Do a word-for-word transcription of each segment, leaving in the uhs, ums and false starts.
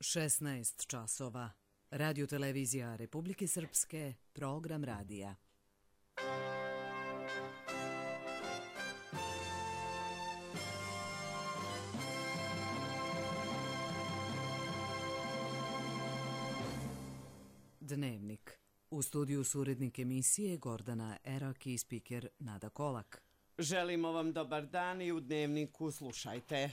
šesnaest časova. Radio televizija Republike Srpske, program radija. Dnevnik. U studiju su urednik emisije Gordana Erak i spiker Nada Kolak. Želimo vam dobar dan i u Dnevniku slušajte.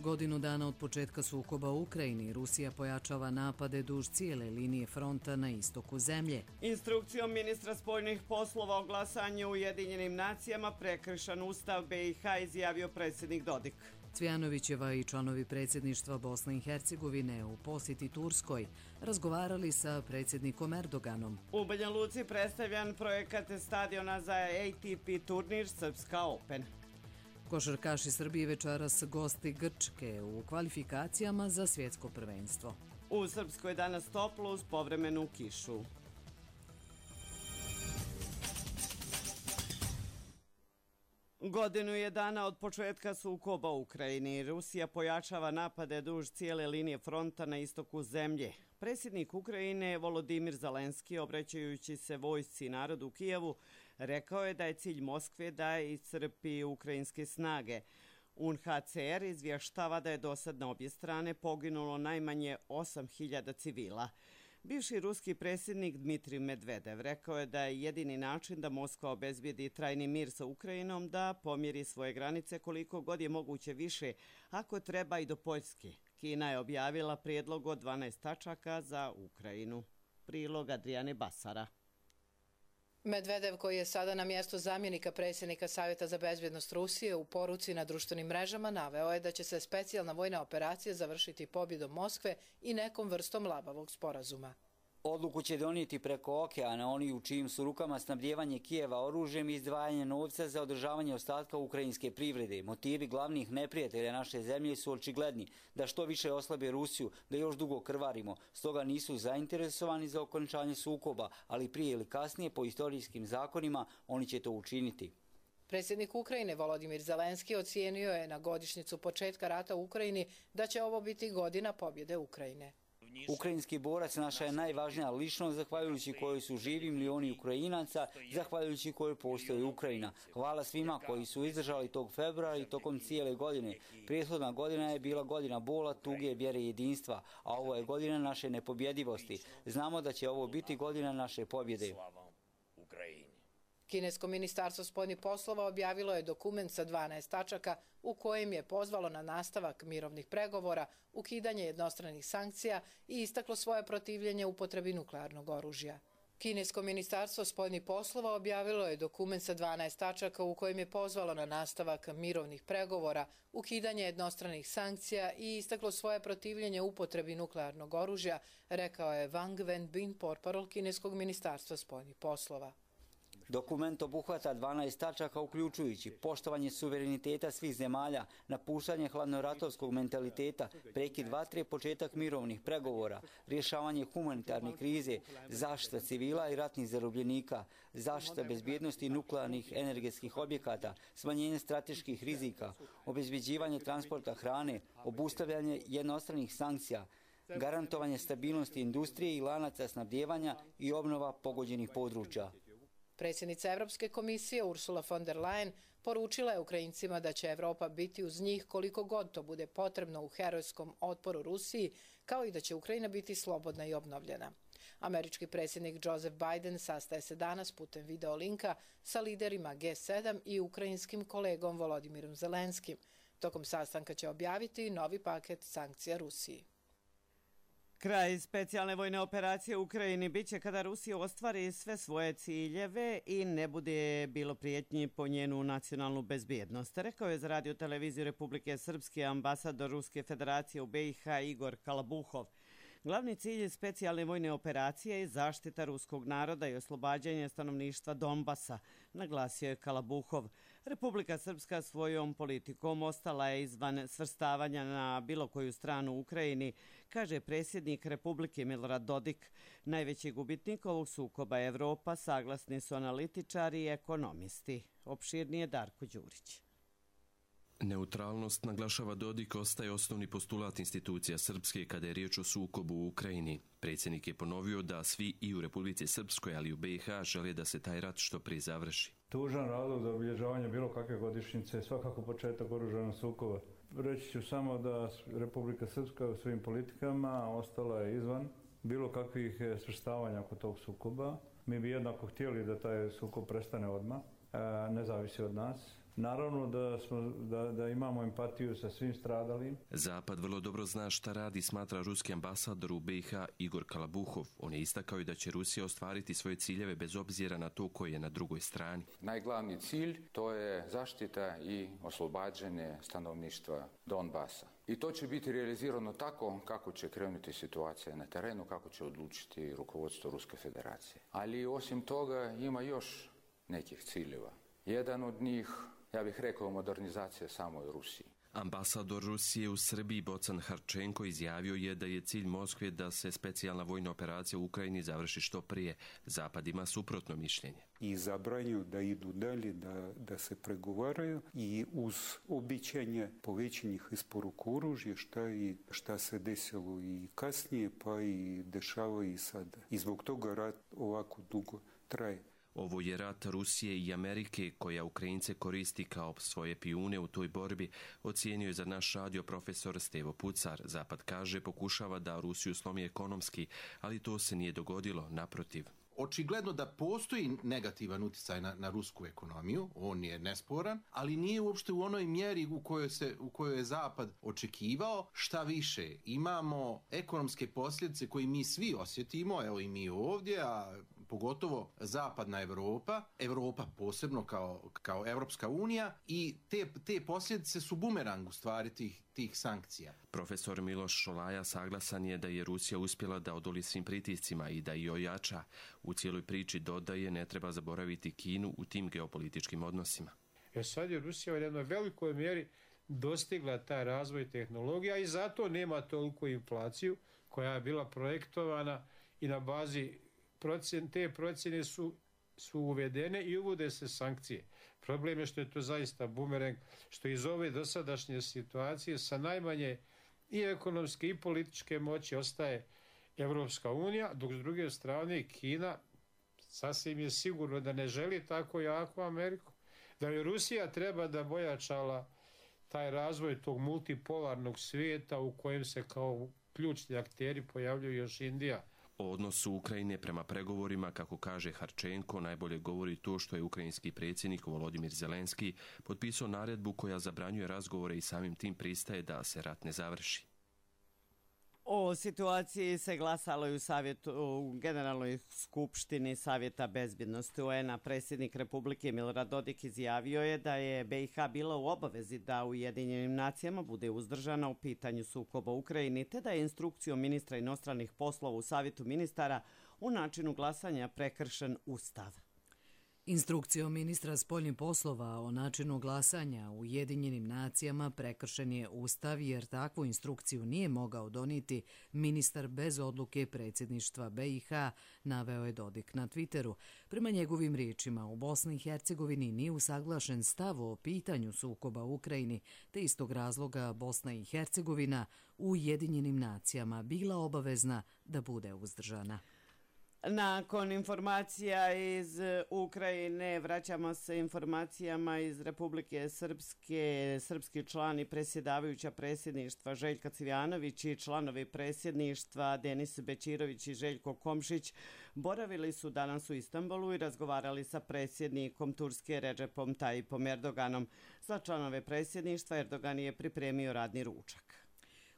Godinu dana od početka sukoba u Ukrajini, Rusija pojačava napade duž cijele linije fronta na istoku zemlje. Instrukcijom ministra spoljnih poslova o glasanju u Ujedinjenim nacijama prekršen Ustav B i H, izjavio predsjednik Dodik. Cvjanovićeva i članovi predsjedništva Bosne i Hercegovine u posjeti Turskoj razgovarali sa predsjednikom Erdoganom. U Banja Luci predstavljan projekat stadiona za A T P turnir Srpska Open. Košarkaši Srbije večeras gosti Grčke u kvalifikacijama za svjetsko prvenstvo. U Srpskoj je danas toplo uz povremenu kišu. Godinu je dana od početka sukoba u Ukrajini. Rusija pojačava napade duž cijele linije fronta na istoku zemlje. Predsjednik Ukrajine Volodimir Zelenski, obraćajući se vojsci i narodu u Kijevu, rekao je da je cilj Moskve da iscrpi ukrajinske snage. U N H C R izvještava da je dosad na obje strane poginulo najmanje osam hiljada civila. Bivši ruski predsjednik Dmitrij Medvedev rekao je da je jedini način da Moskva obezbijedi trajni mir sa Ukrajinom da pomjeri svoje granice koliko god je moguće više, ako treba i do Poljske. Kina je objavila prijedlog od dvanaest tačaka za Ukrajinu. Prilog Adrijane Basara. Medvedev, koji je sada na mjestu zamjenika predsjednika Savjeta za bezbjednost Rusije, u poruci na društvenim mrežama naveo je da će se specijalna vojna operacija završiti pobjedom Moskve i nekom vrstom labavog sporazuma. Odluku će donijeti preko okeana oni u čijim su rukama snabdijevanje Kijeva oružjem i izdvajanje novca za održavanje ostatka ukrajinske privrede. Motivi glavnih neprijatelja naše zemlje su očigledni, da što više oslabe Rusiju, da još dugo krvarimo. Stoga nisu zainteresovani za okončanje sukoba, ali prije ili kasnije po istorijskim zakonima oni će to učiniti. Predsjednik Ukrajine Volodimir Zelenski ocijenio je na godišnjicu početka rata u Ukrajini da će ovo biti godina pobjede Ukrajine. Ukrajinski borac naša je najvažnija ličnost, zahvaljujući kojoj su živi milioni Ukrajinaca, zahvaljujući kojoj postoji Ukrajina. Hvala svima koji su izdržali tog februara i tokom cijele godine. Prethodna godina je bila godina bola, tuge, vjere i jedinstva, a ovo je godina naše nepobjedivosti. Znamo da će ovo biti godina naše pobjede. Kinesko ministarstvo spoljnih poslova objavilo je dokument sa dvanaest tačaka u kojem je pozvalo na nastavak mirovnih pregovora, ukidanje jednostranih sankcija i istaklo svoje protivljenje upotrebi nuklearnog oružja. Kinesko ministarstvo spoljnih poslova objavilo je dokument sa dvanaest tačaka u kojem je pozvalo na nastavak mirovnih pregovora, ukidanje jednostranih sankcija i istaklo svoje protivljenje upotrebi nuklearnog oružja, rekao je Wang Wenbin, portparol Kineskog ministarstva spoljnih poslova. Dokument obuhvata dvanaest tačaka uključujući poštovanje suvereniteta svih zemalja, napuštanje hladnoratovskog mentaliteta, prekid vatre, početak mirovnih pregovora, rješavanje humanitarne krize, zaštita civila i ratnih zarobljenika, zaštita bezbjednosti nuklearnih energetskih objekata, smanjenje strateških rizika, obezbeđivanje transporta hrane, obustavljanje jednostranih sankcija, garantovanje stabilnosti industrije i lanaca snabdijevanja i obnova pogođenih područja. Predsjednica Evropske komisije Ursula von der Leyen poručila je Ukrajincima da će Evropa biti uz njih koliko god to bude potrebno u herojskom otporu Rusiji, kao i da će Ukrajina biti slobodna i obnovljena. Američki predsjednik Joseph Biden sastaje se danas putem video linka sa liderima G sedam i ukrajinskim kolegom Volodimirom Zelenskim. Tokom sastanka će objaviti novi paket sankcija Rusiji. Kraj specijalne vojne operacije u Ukrajini biće kada Rusija ostvari sve svoje ciljeve i ne bude bilo prijetnji po njenu nacionalnu bezbjednost, rekao je za radio televiziju Republike Srpske ambasador Ruske federacije u B i H Igor Kalabuhov. Glavni cilj specijalne vojne operacije je zaštita ruskog naroda i oslobađanje stanovništva Donbasa, naglasio je Kalabuhov. Republika Srpska svojom politikom ostala je izvan svrstavanja na bilo koju stranu u Ukrajini, kaže predsjednik Republike Milorad Dodik. Najveći gubitnik ovog sukoba Evropa, saglasni su analitičari i ekonomisti. Opširnije Darko Đurić. Neutralnost, naglašava Dodik, ostaje osnovni postulat institucija Srpske kada je riječ o sukobu u Ukrajini. Predsjednik je ponovio da svi i u Republici Srpskoj, ali i u B i H žele da se taj rat što prije završi. Tužan razlog za obilježavanje bilo kakve godišnjice je svakako početak oružanog sukoba. Reći ću samo da Republika Srpska u svojim politikama ostala je izvan bilo kakvih svrstavanja oko tog sukoba. Mi bi jednako htjeli da taj sukob prestane odmah, ne zavisi od nas. Naravno da, smo, da, da imamo empatiju sa svim stradalim. Zapad vrlo dobro zna šta radi, smatra ruski ambasador u B i H Igor Kalabuhov. On je istakao i da će Rusija ostvariti svoje ciljeve bez obzira na to koji je na drugoj strani. Najglavni cilj to je zaštita i oslobađanje stanovništva Donbasa. I to će biti realizirano tako kako će krenuti situacija na terenu, kako će odlučiti rukovodstvo Ruske federacije. Ali osim toga ima još nekih ciljeva. Jedan od njih, ja bih rekao, modernizacija samoj Rusiji. Ambasador Rusije u Srbiji Bocan Harčenko izjavio je da je cilj Moskve da se specijalna vojna operacija u Ukrajini završi što prije. Zapad ima suprotno mišljenje. I zabranju da idu dalje, da, da se pregovaraju i uz običanje povećanih isporuka oružja, šta, i, šta se desilo i kasnije, pa i dešava i sada. I zbog toga rat ovako dugo traje. Ovo je rat Rusije i Amerike koja Ukrajince koristi kao svoje pijune u toj borbi, ocijenio je za naš radio profesor Stevo Pucar. Zapad kaže pokušava da Rusiju slomi ekonomski, ali to se nije dogodilo, naprotiv. Očigledno da postoji negativan utjecaj na, na rusku ekonomiju, on je nesporan, ali nije uopšte u onoj mjeri u kojoj, se, u kojoj je Zapad očekivao. Šta više, imamo ekonomske posljedice koje mi svi osjetimo, evo i mi ovdje, a pogotovo zapadna Evropa, Evropa posebno kao, kao Evropska unija, i te, te posljedice su bumerang u stvari tih, tih sankcija. Profesor Miloš Šolaja saglasan je da je Rusija uspjela da odoli svim pritiscima i da i ojača. U cijeloj priči dodaje ne treba zaboraviti Kinu u tim geopolitičkim odnosima. Jer sad je Rusija u jednoj velikoj mjeri dostigla taj razvoj tehnologija i zato nema toliko inflaciju koja je bila projektovana i na bazi procjen, te procjene su, su uvedene i uvode se sankcije. Problem je što je to zaista bumerang, što iz ove dosadašnje situacije sa najmanje i ekonomske i političke moći ostaje Evropska unija, dok s druge strane Kina sasvim je sigurno da ne želi tako jako Ameriku, da je Rusija treba da bojačala taj razvoj tog multipolarnog svijeta u kojem se kao ključni akteri pojavljuju još Indija. O odnosu Ukrajine prema pregovorima, kako kaže Harčenko, najbolje govori to što je ukrajinski predsjednik Volodimir Zelenski potpisao naredbu koja zabranjuje razgovore i samim tim pristaje da se rat ne završi. O situaciji se glasalo i u, savjetu, u Generalnoj skupštini Savjeta bezbjednosti U N A. Predsjednik Republike Milorad Dodik izjavio je da je B i H bila u obavezi da u Ujedinjenim nacijama bude uzdržana u pitanju sukoba u Ukrajini, te da je instrukcijom ministra inostranih poslova u Savjetu ministara u načinu glasanja prekršen Ustav. Instrukcijom ministra spoljnih poslova o načinu glasanja u Ujedinjenim nacijama prekršen je Ustav jer takvu instrukciju nije mogao donijeti ministar bez odluke predsjedništva B i H, naveo je Dodik na Twitteru. Prema njegovim riječima, u Bosni i Hercegovini nije usaglašen stav o pitanju sukoba u Ukrajini, te istog razloga Bosna i Hercegovina u Ujedinjenim nacijama bila obavezna da bude uzdržana. Nakon informacija iz Ukrajine vraćamo se informacijama iz Republike Srpske. Srpski član i predsjedavajuća predsjedništva Željka Cvijanović i članovi predsjedništva Denis Bećirović i Željko Komšić boravili su danas u Istanbulu i razgovarali sa predsjednikom Turske Recepom Tayyipom Erdoganom. Za članove predsjedništva Erdogan je pripremio radni ručak.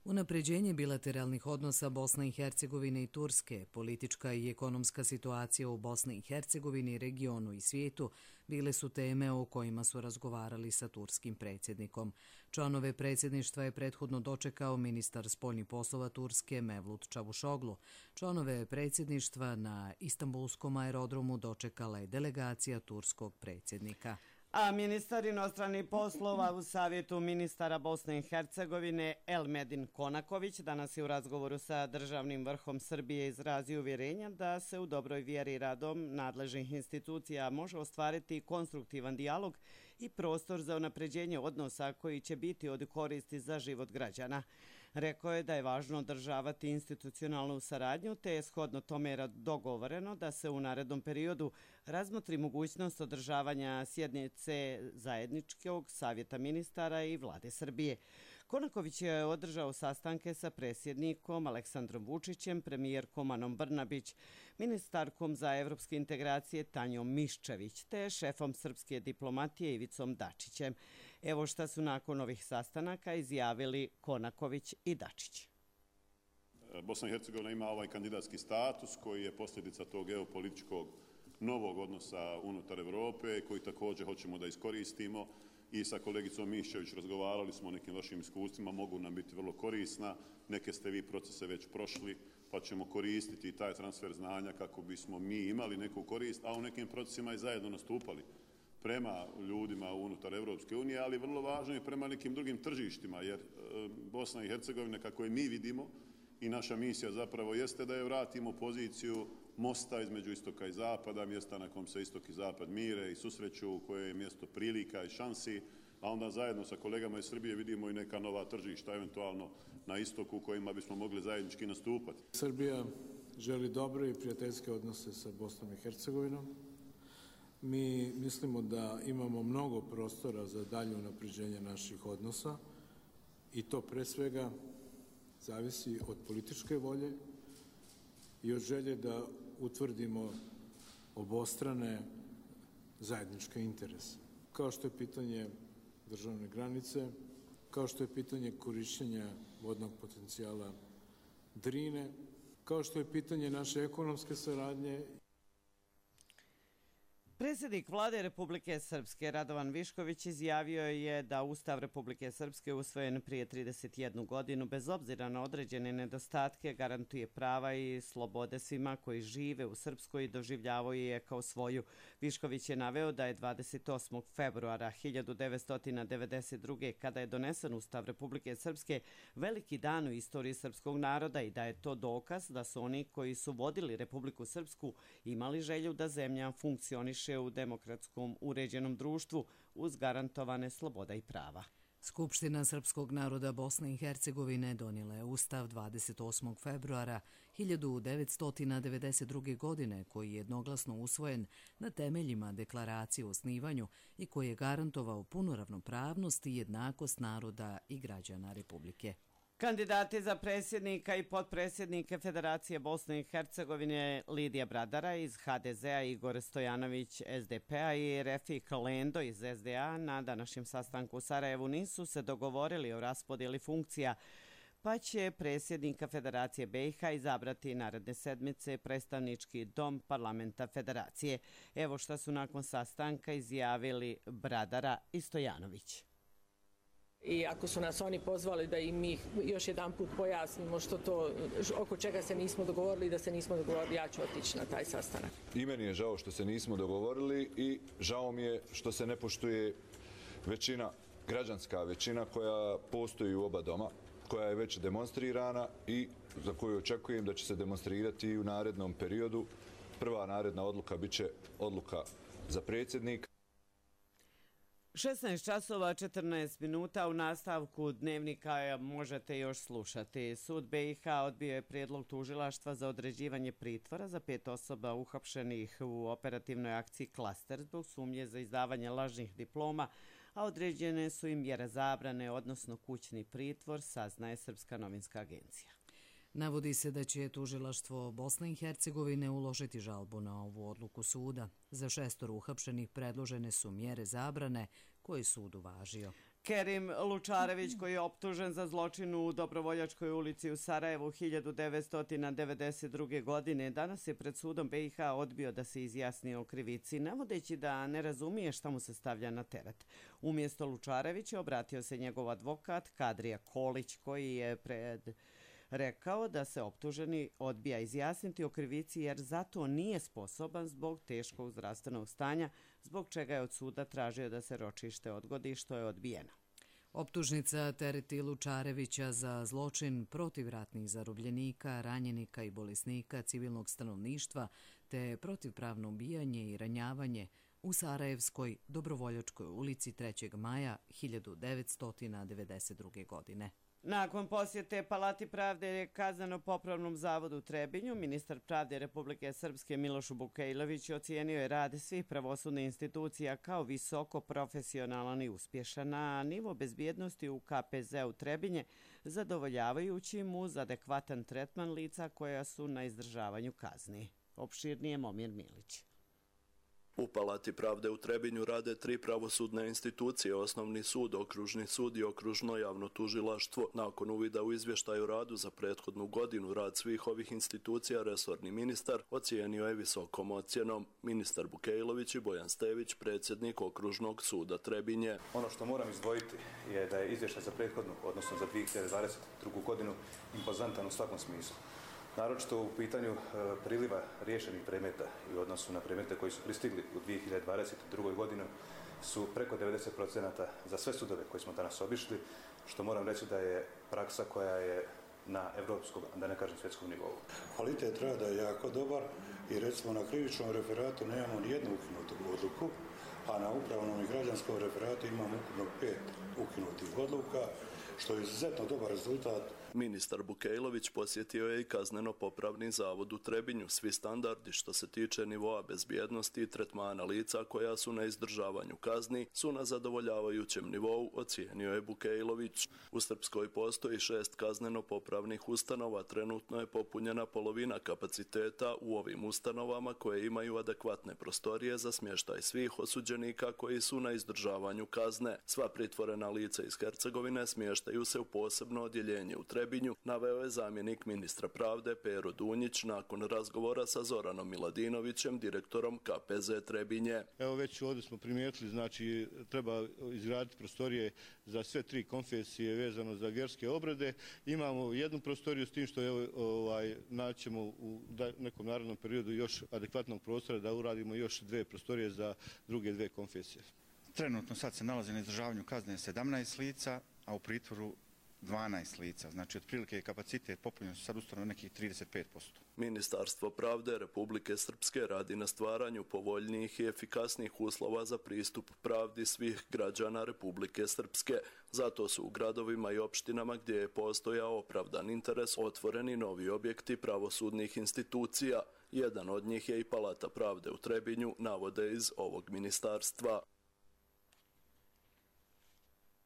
Unapređenje bilateralnih odnosa Bosne i Hercegovine i Turske, politička i ekonomska situacija u Bosni i Hercegovini, regionu i svijetu bile su teme o kojima su razgovarali sa turskim predsjednikom. Članove predsjedništva je prethodno dočekao ministar spoljnih poslova Turske Mevlut Čavuşoglu. Članove predsjedništva na Istanbulskom aerodromu dočekala je delegacija turskog predsjednika. A ministar inostranih poslova u Savjetu ministara Bosne i Hercegovine Elmedin Konaković danas je u razgovoru sa državnim vrhom Srbije izrazio uvjerenja da se u dobroj vjeri radom nadležnih institucija može ostvariti konstruktivan dijalog i prostor za unapređenje odnosa koji će biti od koristi za život građana. Rekao je da je važno održavati institucionalnu saradnju, te je shodno tome dogovoreno da se u narednom periodu razmotri mogućnost održavanja sjednice zajedničkog savjeta ministara i vlade Srbije. Konaković je održao sastanke sa predsjednikom Aleksandrom Vučićem, premijerkom Anom Brnabić, ministarkom za evropske integracije Tanjom Miščević, te šefom srpske diplomatije Ivicom Dačićem. Evo šta su nakon ovih sastanaka izjavili Konaković i Dačić. Bosna i Hercegovina ima ovaj kandidatski status koji je posljedica tog geopolitičkog novog odnosa unutar Evrope, koji također hoćemo da iskoristimo. I sa kolegicom Miščević razgovarali smo o nekim vašim iskustvima, mogu nam biti vrlo korisna. Neke ste vi procese već prošli, pa ćemo koristiti taj transfer znanja kako bismo mi imali neku korist, a u nekim procesima i zajedno nastupali prema ljudima unutar Evropske unije, ali vrlo važno i prema nekim drugim tržištima, jer Bosna i Hercegovina, kako je mi vidimo, i naša misija zapravo jeste da je vratimo poziciju mosta između istoka i zapada, mjesta na kom se istok i zapad mire i susreću, koje je mjesto prilika i šansi, a onda zajedno sa kolegama iz Srbije vidimo i neka nova tržišta, eventualno na istoku, kojima bismo mogli zajednički nastupati. Srbija želi dobre i prijateljske odnose sa Bosnom i Hercegovinom. Mi mislimo da imamo mnogo prostora za dalje unapređenje naših odnosa i to pre svega zavisi od političke volje i od želje da utvrdimo obostrane zajedničke interese. Kao što je pitanje državne granice, kao što je pitanje korišćenja vodnog potencijala Drine, kao što je pitanje naše ekonomske saradnje. Predsjednik vlade Republike Srpske Radovan Višković izjavio je da Ustav Republike Srpske usvojen prije trideset jednu godinu bez obzira na određene nedostatke garantuje prava i slobode svima koji žive u Srpskoj i doživljavaju je kao svoju. Višković je naveo da je dvadeset osmog februara hiljadu devetsto devedeset druge kada je donesen Ustav Republike Srpske veliki dan u istoriji srpskog naroda i da je to dokaz da su oni koji su vodili Republiku Srpsku imali želju da zemlja funkcioniše u demokratskom uređenom društvu uz garantovane sloboda i prava. Skupština srpskog naroda Bosne i Hercegovine donijela je Ustav dvadeset osmog februara hiljadu devetsto devedeset druge. godine koji je jednoglasno usvojen na temeljima deklaracije o osnivanju i koji je garantovao punu ravnopravnost i jednakost naroda i građana Republike. Kandidati za predsjednika i potpredsjednike Federacije Bosne i Hercegovine Lidija Bradara iz ha de zea, Igor Stojanović es de pe a i Refik Lendo iz es de a na današnjem sastanku u Sarajevu nisu se dogovorili o raspodjeli funkcija, pa će predsjednika Federacije be i ha izabrati naredne sedmice predstavnički dom parlamenta Federacije. Evo šta su nakon sastanka izjavili Bradara i Stojanović. I ako su nas oni pozvali da im mi još jedan put pojasnimo što to, oko čega se nismo dogovorili i da se nismo dogovorili, ja ću otići na taj sastanak. I meni je žao što se nismo dogovorili i žao mi je što se ne poštuje većina, građanska većina koja postoji u oba doma, koja je već demonstrirana i za koju očekujem da će se demonstrirati i u narednom periodu. Prva naredna odluka bit će odluka za predsjednika. šesnaest časova četrnaest minuta u nastavku dnevnika možete još slušati. Sud be i ha odbio je prijedlog tužilaštva za određivanje pritvora za pet osoba uhapšenih u operativnoj akciji Klaster zbog sumnje za izdavanje lažnih diploma, a određene su im mjere zabrane, odnosno kućni pritvor, saznaje Srpska novinska agencija. Navodi se da će tužilaštvo Bosne i Hercegovine uložiti žalbu na ovu odluku suda. Za šestoro uhapšenih predložene su mjere zabrane koje sud uvažio. Kerim Lučarević, koji je optužen za zločin u Dobrovoljačkoj ulici u Sarajevu hiljadu devetsto devedeset druge. godine, danas je pred sudom be i ha odbio da se izjasni o krivici, navodeći da ne razumije šta mu se stavlja na teret. Umjesto Lučarevića obratio se njegov advokat Kadrija Kolić, koji je pred rekao da se optuženi odbija izjasniti o krivici jer zato nije sposoban zbog teškog zdravstvenog stanja, zbog čega je od suda tražio da se ročište odgodi, što je odbijeno. Optužnica tereti Lučarevića za zločin protiv ratnih zarobljenika, ranjenika i bolesnika civilnog stanovništva te protivpravno ubijanje i ranjavanje, u Sarajevskoj Dobrovoljačkoj ulici trećeg maja hiljadu devetsto devedeset druge. godine. Nakon posjete Palati pravde Kazneno-popravnom zavodu u Trebinju, ministar pravde Republike Srpske Miloš Bukejlović ocijenio je rad svih pravosudnih institucija kao visoko profesionalan i uspješan, a nivo bezbjednosti u K P Z u Trebinje zadovoljavajućim uz adekvatan tretman lica koja su na izdržavanju kazni. Opširnije Momir Milić. U Palati pravde u Trebinju rade tri pravosudne institucije, Osnovni sud, Okružni sud i Okružno javno tužilaštvo. Nakon uvida u izvještaju radu za prethodnu godinu, rad svih ovih institucija resorni ministar ocijenio je visokom ocjenom. Ministar Bukejlović i Bojan Stević, predsjednik Okružnog suda Trebinje. Ono što moram izdvojiti je da je izvještaj za prethodnu, odnosno za dvije hiljade dvadeset drugu. godinu, impozantan u svakom smislu. Naročito u pitanju priliva riješenih predmeta i u odnosu na predmete koji su pristigli u dvije hiljade dvadeset drugoj. godini su preko devedeset posto za sve sudove koje smo danas obišli, što moram reći da je praksa koja je na evropskom, da ne kažem svjetskom nivou. Kvalitet rada je jako dobar i recimo na krivičnom referatu nemamo ni jednu ukinutu odluku, a na upravnom i građanskom referatu imamo ukupno pet ukinutih odluka, što je izuzetno dobar rezultat. Ministar Bukejlović posjetio je i Kazneno-popravni zavod u Trebinju. Svi standardi što se tiče nivoa bezbjednosti i tretmana lica koja su na izdržavanju kazni su na zadovoljavajućem nivou, ocijenio je Bukejlović. U Srpskoj postoji šest kazneno-popravnih ustanova, trenutno je popunjena polovina kapaciteta u ovim ustanovama koje imaju adekvatne prostorije za smještaj svih osuđenika koji su na izdržavanju kazne. Sva pritvorena lica iz Hercegovine smještaju se u posebno odjeljenje u Trebinju, naveo je zamjenik ministra pravde Pero Dunjić nakon razgovora sa Zoranom Miladinovićem, direktorom K P Z Trebinje. Evo već ovdje smo primijetili, znači treba izgraditi prostorije za sve tri konfesije vezano za vjerske obrede. Imamo jednu prostoriju s tim što je, ovaj, naćemo u nekom narednom periodu još adekvatnog prostora da uradimo još dve prostorije za druge dve konfesije. Trenutno sad se nalazi na izdržavanju kazne sedamnaest lica, a u pritvoru dvanaest lica, znači otprilike je kapacitet popunjen sad ustavno nekih trideset pet posto. Ministarstvo pravde Republike Srpske radi na stvaranju povoljnijih i efikasnijih uslova za pristup pravdi svih građana Republike Srpske. Zato su u gradovima i opštinama gdje je postojao opravdan interes otvoreni novi objekti pravosudnih institucija. Jedan od njih je i Palata pravde u Trebinju, navode iz ovog ministarstva.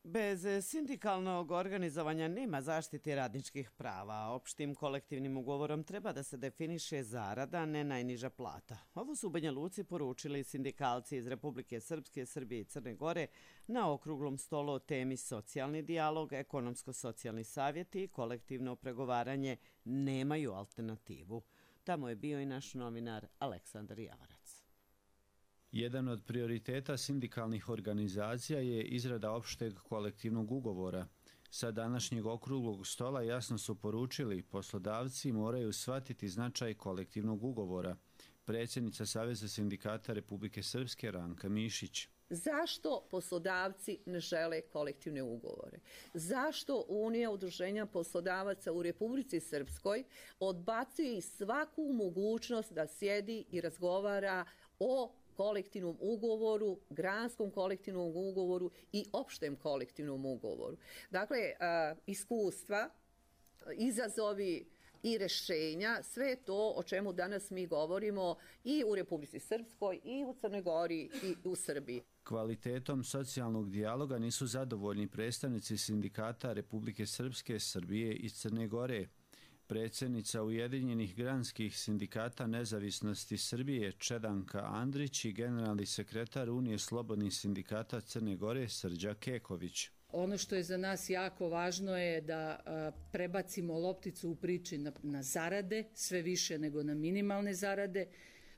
Bez sindikalnog organizovanja nema zaštite radničkih prava. Opštim kolektivnim ugovorom treba da se definiše zarada, ne najniža plata. Ovo su u Banja Luci poručili sindikalci iz Republike Srpske, Srbije i Crne Gore na okruglom stolu o temi socijalni dijalog, ekonomsko-socijalni savjeti i kolektivno pregovaranje nemaju alternativu. Tamo je bio i naš novinar Aleksandar Javarac. Jedan od prioriteta sindikalnih organizacija je izrada opšteg kolektivnog ugovora. Sa današnjeg okruglog stola jasno su poručili poslodavci moraju shvatiti značaj kolektivnog ugovora. Predsjednica Saveza sindikata Republike Srpske Ranka Mišić. Zašto poslodavci ne žele kolektivne ugovore? Zašto Unija udruženja poslodavaca u Republici Srpskoj odbacuje svaku mogućnost da sjedi i razgovara o kolektivnom ugovoru, granskom kolektivnom ugovoru i opštem kolektivnom ugovoru? Dakle, iskustva, izazovi i rešenja, sve to o čemu danas mi govorimo i u Republici Srpskoj, i u Crnoj Gori, i u Srbiji. Kvalitetom socijalnog dijaloga nisu zadovoljni predstavnici sindikata Republike Srpske, Srbije i Crne Gore. Predsjednica Ujedinjenih granskih sindikata nezavisnosti Srbije Čedanka Andrić i generalni sekretar Unije slobodnih sindikata Crne Gore Srđa Keković. Ono što je za nas jako važno je da a, prebacimo lopticu u priči na, na zarade, sve više nego na minimalne zarade.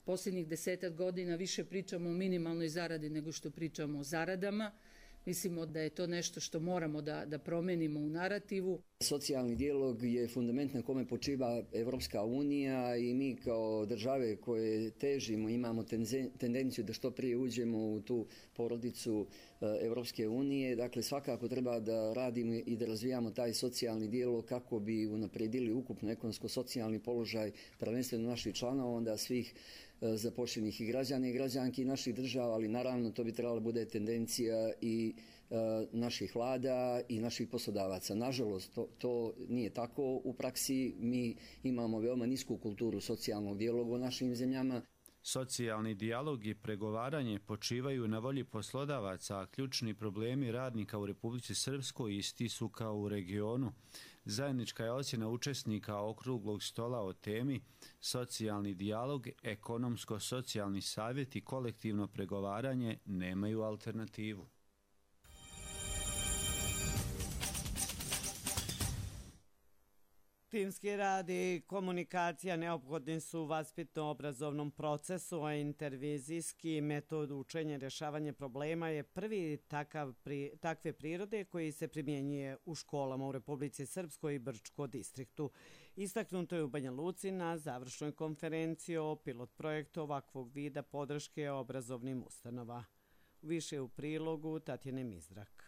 Posljednjih desetak godina više pričamo o minimalnoj zaradi nego što pričamo o zaradama. Mislimo da je to nešto što moramo da, da promenimo u narativu. Socijalni dijalog je fundament na kome počiva Evropska unija i mi kao države koje težimo, imamo tendenciju da što prije uđemo u tu porodicu Evropske unije. Dakle, svakako treba da radimo i da razvijamo taj socijalni dijalog kako bi unapredili ukupno ekonomsko-socijalni položaj prvenstveno naših članova, onda svih zapošljenih i građana i građanki naših država, ali naravno to bi trebala bude tendencija i naših vlada i naših poslodavaca. Nažalost, to, to nije tako u praksi. Mi imamo veoma nisku kulturu socijalnog dijaloga u našim zemljama. Socijalni dijalog i pregovaranje počivaju na volji poslodavaca, a ključni problemi radnika u Republici Srpskoj isti su kao u regionu. Zajednička je ocjena učesnika okruglog stola o temi socijalni dijalog, ekonomsko-socijalni savjet i kolektivno pregovaranje nemaju alternativu. Timski rad i komunikacija neophodni su u vaspitno-obrazovnom procesu, a intervizijski metod učenja i rješavanja problema je prvi takav, pri, takve prirode koji se primjenjuje u školama u Republici Srpskoj i Brčko distriktu. Istaknuto je u Banja Luci na završnoj konferenciji o pilot projektu ovakvog vida podrške obrazovnim ustanova. Više u prilogu Tatjane Mizrak.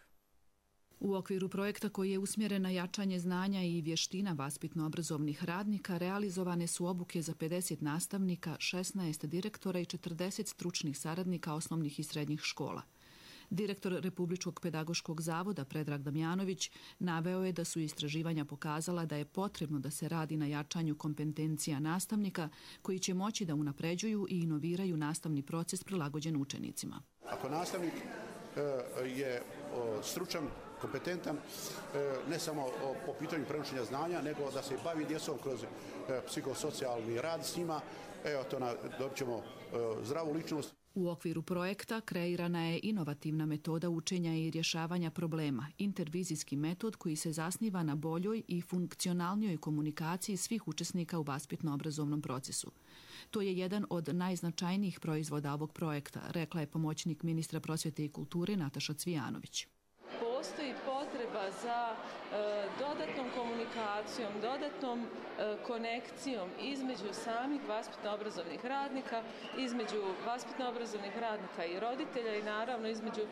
U okviru projekta koji je usmjeren na jačanje znanja i vještina vaspitno-obrazovnih radnika realizovane su obuke za pedeset nastavnika, šesnaest direktora i četrdeset stručnih saradnika osnovnih i srednjih škola. Direktor Republičkog pedagoškog zavoda Predrag Damjanović naveo je da su istraživanja pokazala da je potrebno da se radi na jačanju kompetencija nastavnika koji će moći da unapređuju i inoviraju nastavni proces prilagođen učenicima. Ako nastavnik je stručan, kompetentan, ne samo po pitanju prenošenja znanja, nego da se bavi djecom kroz psihosocijalni rad s njima, evo to dobit ćemo zdravu ličnost. U okviru projekta kreirana je inovativna metoda učenja i rješavanja problema, intervizijski metod koji se zasniva na boljoj i funkcionalnijoj komunikaciji svih učesnika u vaspitno-obrazovnom procesu. To je jedan od najznačajnijih proizvoda ovog projekta, rekla je pomoćnik ministra prosvjete i kulture Nataša Cvijanović. Postoji potreba za e, dodatnom komunikacijom, dodatnom e, konekcijom između samih vaspitno-obrazovnih radnika, između vaspitno-obrazovnih radnika i roditelja i naravno između e,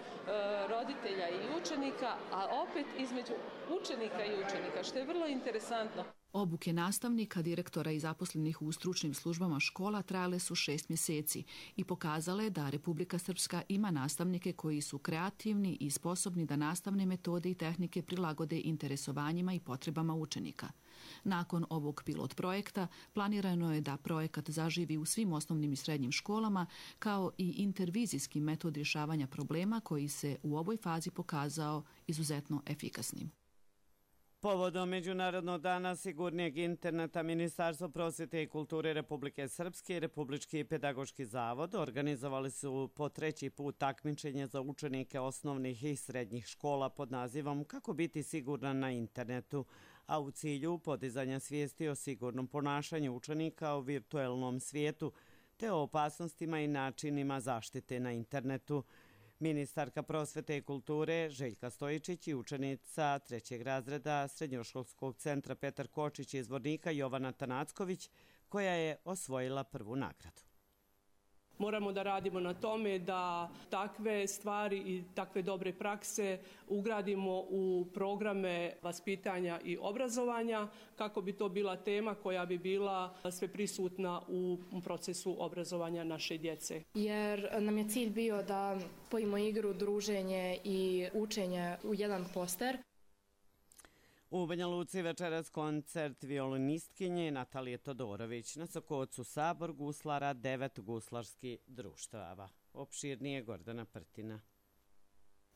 roditelja i učenika, a opet između učenika i učenika, što je vrlo interesantno. Obuke nastavnika, direktora i zaposlenih u stručnim službama škola trajale su šest mjeseci i pokazale da Republika Srpska ima nastavnike koji su kreativni i sposobni da nastavne metode i tehnike prilagode interesovanjima i potrebama učenika. Nakon ovog pilot projekta planirano je da projekat zaživi u svim osnovnim i srednjim školama kao i intervizijski metod rješavanja problema koji se u ovoj fazi pokazao izuzetno efikasnim. Povodom Međunarodnog dana sigurnijeg interneta, Ministarstvo prosvjete i kulture Republike Srpske i Republički pedagoški zavod organizovali su po treći put takmičenje za učenike osnovnih i srednjih škola pod nazivom Kako biti siguran na internetu, a u cilju podizanja svijesti o sigurnom ponašanju učenika u virtuelnom svijetu te o opasnostima i načinima zaštite na internetu. Ministarka prosvjete i kulture Željka Stojičić i učenica trećeg razreda Srednjoškolskog centra Petar Kočić iz Zvornika Jovana Tanacković, koja je osvojila prvu nagradu. Moramo da radimo na tome da takve stvari i takve dobre prakse ugradimo u programe vaspitanja i obrazovanja kako bi to bila tema koja bi bila sve prisutna u procesu obrazovanja naše djece. Jer nam je cilj bio da spojimo igru, druženje i učenje u jedan poster. U Banja Luci večeras koncert violinistkinje Natalije Todorović, na Sokocu sabor guslara, devet guslarskih društava. Opširnije Gordana Prtina.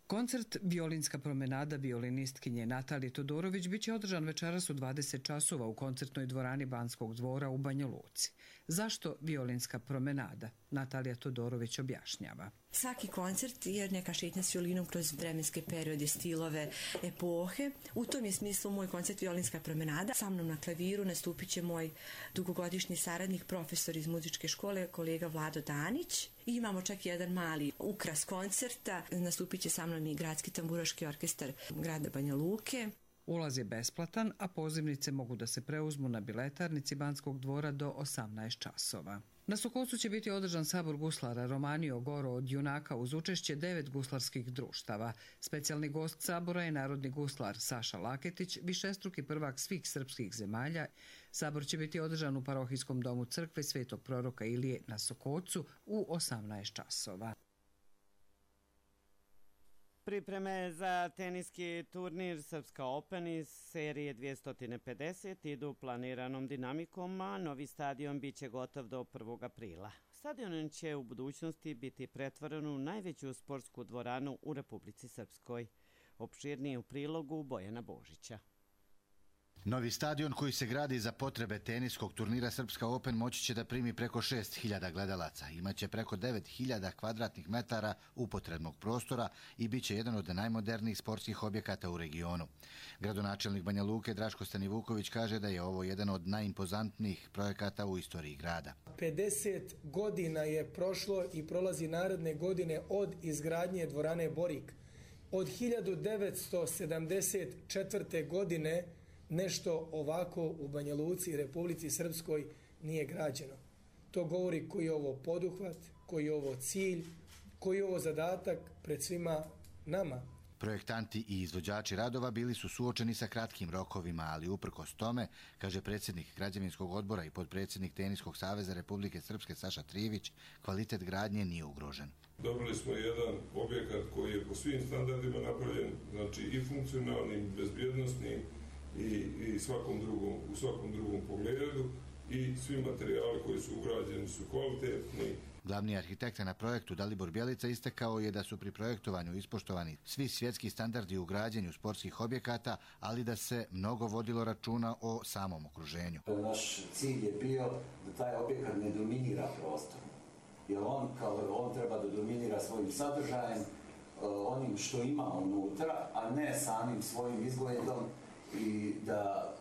Koncert Violinska promenada violinistkinje Natalije Todorović biće održan večeras u dvadeset časova u koncertnoj dvorani Banskog dvora u Banja Luci. Zašto Violinska promenada? Natalija Todorović objašnjava. Svaki koncert je neka šetnja s violinom kroz vremenske periode, stilove, epohe. U tom je smislu moj koncert Violinska promenada. Sa mnom na klaviru nastupit će moj dugogodišnji saradnik, profesor iz muzičke škole, kolega Vlado Danić. I imamo čak jedan mali ukras koncerta. Nastupit će sa mnom i Gradski tamburaški orkestar grada Banja Luke. Ulaz je besplatan, a pozivnice mogu da se preuzmu na biletarnici Banskog dvora do osamnaest časova. Na Sokocu će biti održan sabor guslara Romanio Goro od junaka uz učešće devet guslarskih društava. Specijalni gost sabora je narodni guslar Saša Laketić, višestruki prvak svih srpskih zemalja. Sabor će biti održan u parohijskom domu crkve Svetog proroka Ilije na Sokocu u osamnaest časova. Pripreme za teniski turnir Srpska Open iz serije dvjesto pedeset idu planiranom dinamikom, a novi stadion biće gotov do prvog aprila. Stadion će u budućnosti biti pretvoren u najveću sportsku dvoranu u Republici Srpskoj. Opširnije u prilogu Bojana Božića. Novi stadion koji se gradi za potrebe teniskog turnira Srpska Open moći će da primi preko šest hiljada gledalaca. Imaće preko devet hiljada kvadratnih metara upotrebnog prostora i bit će jedan od najmodernijih sportskih objekata u regionu. Gradonačelnik Banja Luke Draško Stanivuković kaže da je ovo jedan od najimpozantnijih projekata u istoriji grada. pedeset godina je prošlo i prolazi naredne godine od izgradnje dvorane Borik. Od hiljadu devetsto sedamdeset četvrte. godine nešto ovako u Banja Luci i Republici Srpskoj nije građeno. To govori koji je ovo poduhvat, koji je ovo cilj, koji je ovo zadatak pred svima nama. Projektanti i izvođači radova bili su suočeni sa kratkim rokovima, ali uprkos tome, kaže predsjednik građevinskog odbora i podpredsjednik Teniskog saveza Republike Srpske Saša Trivić, kvalitet gradnje nije ugrožen. Dobili smo jedan objekat koji je po svim standardima napravljen, znači i funkcionalnim, bezbjednosnim, i, i svakom drugom, u svakom drugom pogledu i svi materijali koji su ugrađeni su kvalitetni. Glavni arhitekta na projektu Dalibor Bjelica istakao je da su pri projektovanju ispoštovani svi svjetski standardi u građenju sportskih objekata, ali da se mnogo vodilo računa o samom okruženju. Naš cilj je bio da taj objekat ne dominira prostor, jer on, kao, on treba da dominira svojim sadržajem, onim što ima unutra, a ne samim svojim izgledom, i da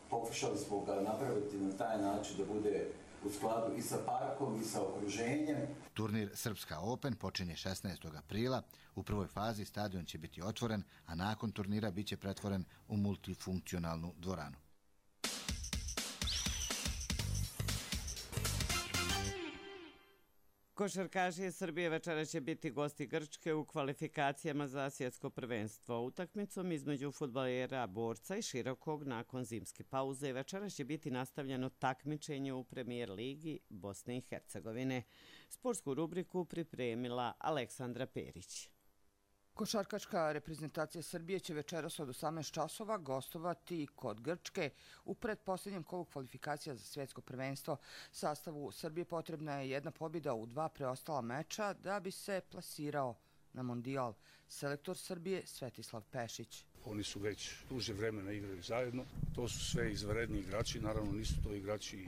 pokušali smo ga napraviti na taj način da bude u skladu i sa parkom i sa okruženjem. Turnir Srpska Open počinje šesnaestog aprila. U prvoj fazi stadion će biti otvoren, a nakon turnira biće pretvoren u multifunkcionalnu dvoranu. Košarkaši Srbije večera će biti gosti Grčke u kvalifikacijama za svjetsko prvenstvo. Utakmicom između fudbalera Borca i Širokog nakon zimske pauze večera će biti nastavljeno takmičenje u Premijer ligi Bosne i Hercegovine. Sportsku rubriku pripremila Aleksandra Perić. Košarkaška reprezentacija Srbije će večeras od osamnaest časova gostovati kod Grčke u pretposljednjem kolu kvalifikacija za svjetsko prvenstvo. Sastavu Srbije potrebna je jedna pobjeda u dva preostala meča da bi se plasirao na mondijal. Selektor Srbije Svetislav Pešić. Oni su već duže vremena igraju zajedno. To su sve izvanredni igrači, naravno nisu to igrači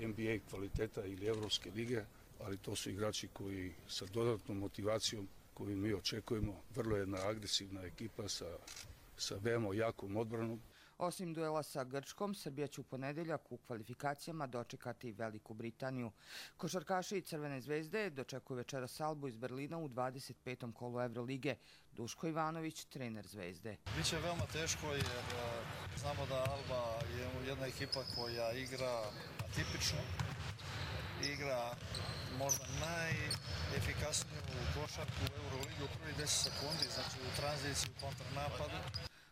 N B A kvaliteta ili Evropske lige, ali to su igrači koji sa dodatnom motivacijom koju mi očekujemo, vrlo jedna agresivna ekipa sa, sa veoma jakom odbranom. Osim duela sa Grčkom, Srbija će u ponedeljak u kvalifikacijama dočekati Veliku Britaniju. Košarkaši Crvene zvezde dočekuju večeras Albu iz Berlina u dvadeset petom kolu Evrolige. Duško Ivanović, trener Zvezde. Biće veoma teško jer znamo da Alba je jedna ekipa koja igra atipično, igra možda najefikasniju košarku u Euroligi u prvi deset sekundi, znači u tranziciji, u kontranapadu.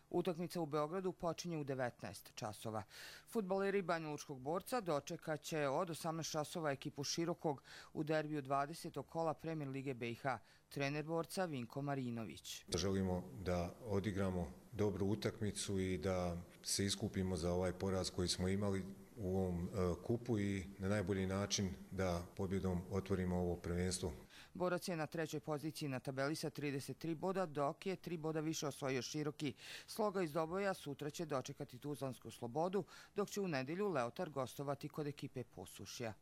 Utakmica u Beogradu počinje u devetnaest časova. Fudbaleri Banjalučkog Borca dočekat će od osamnaest časova ekipu Širokog u derbiju dvadesetog kola Premijer lige B i H. Trener Borca Vinko Marinović. Želimo da odigramo dobru utakmicu i da se iskupimo za ovaj poraz koji smo imali u ovom kupu i na najbolji način da pobjedom otvorimo ovo prvenstvo. Borac je na trećoj poziciji na tabeli sa trideset tri boda, dok je tri boda više osvojio Široki. Sloga iz Doboja sutra će dočekati Tuzlansku Slobodu, dok će u nedjelju Leotar gostovati kod ekipe Posušja.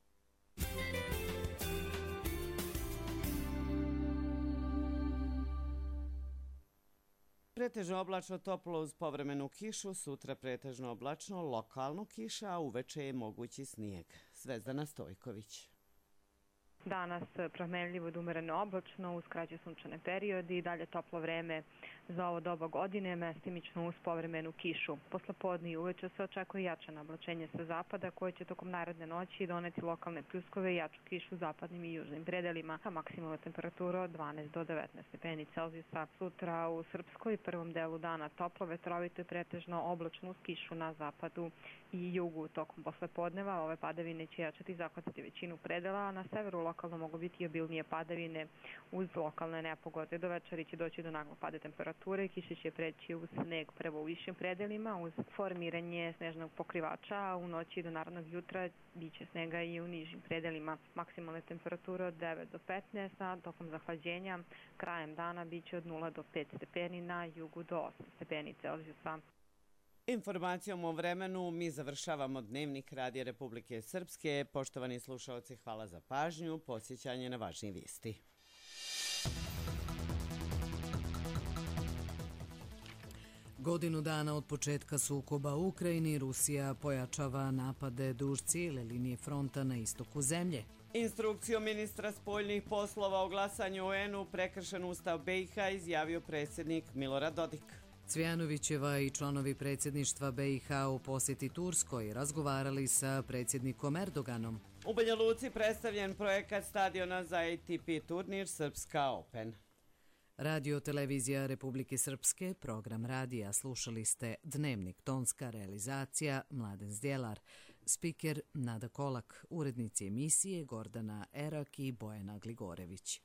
Pretežno oblačno, toplo uz povremenu kišu, sutra pretežno oblačno, lokalno kiša, a uveče je mogući snijeg. Zvezdana Stojković. Danas promenljivo do umereno oblačno, uz kraće sunčane periodi i dalje toplo vreme za ovo doba godine, mestimično uz povremenu kišu. Poslepodne i uveče se očekuje jače nablačenje sa zapada koje će tokom naredne noći doneti lokalne pljuskove i jaču kišu u zapadnim i južnim predelima, a maksimalna temperatura od dvanaest do devetnaest stepeni Celzijusa. Sutra u Srpskoj prvom delu dana toplo, vetrovito i pretežno oblačno uz kišu na zapadu i jugu. Tokom poslepodneva ove padavine će jačati i zahvatiti većinu predela, a na severu lokalno mogu biti i obilnije padavine uz lokalne nepogode. Do večeri će doći do naglog pada temperature, kiše će preći u sneg prvo u višim predelima uz formiranje snežnog pokrivača, a u noći do narednog jutra biće snega i u nižim predelima. Maksimalne temperature od devet do petnaest, a tokom zahlađenja krajem dana biće od nula do pet stepeni, na jugu do osam stepeni Celzijusa. Informacijom o vremenu mi završavamo Dnevnik Radija Republike Srpske. Poštovani slušalci, hvala za pažnju. Podsjećanje na važnije vijesti. Godinu dana od početka sukoba u Ukrajini, Rusija pojačava napade duž cijele linije fronta na istoku zemlje. Instrukcijom ministra spoljnih poslova o glasanju u U N U prekršen Ustav B i H izjavio predsjednik Milorad Dodik. Cvijanovićeva i članovi predsjedništva B i H u posjeti Turskoj razgovarali sa predsjednikom Erdoganom. U Banja Luci predstavljen projekat stadiona za A T P turnir Srpska Open. Radio Televizija Republike Srpske, program radija, slušali ste Dnevnik, tonska realizacija Mladen Zdjelar, spiker Nada Kolak, urednici emisije Gordana Erak i Bojana Gligorević.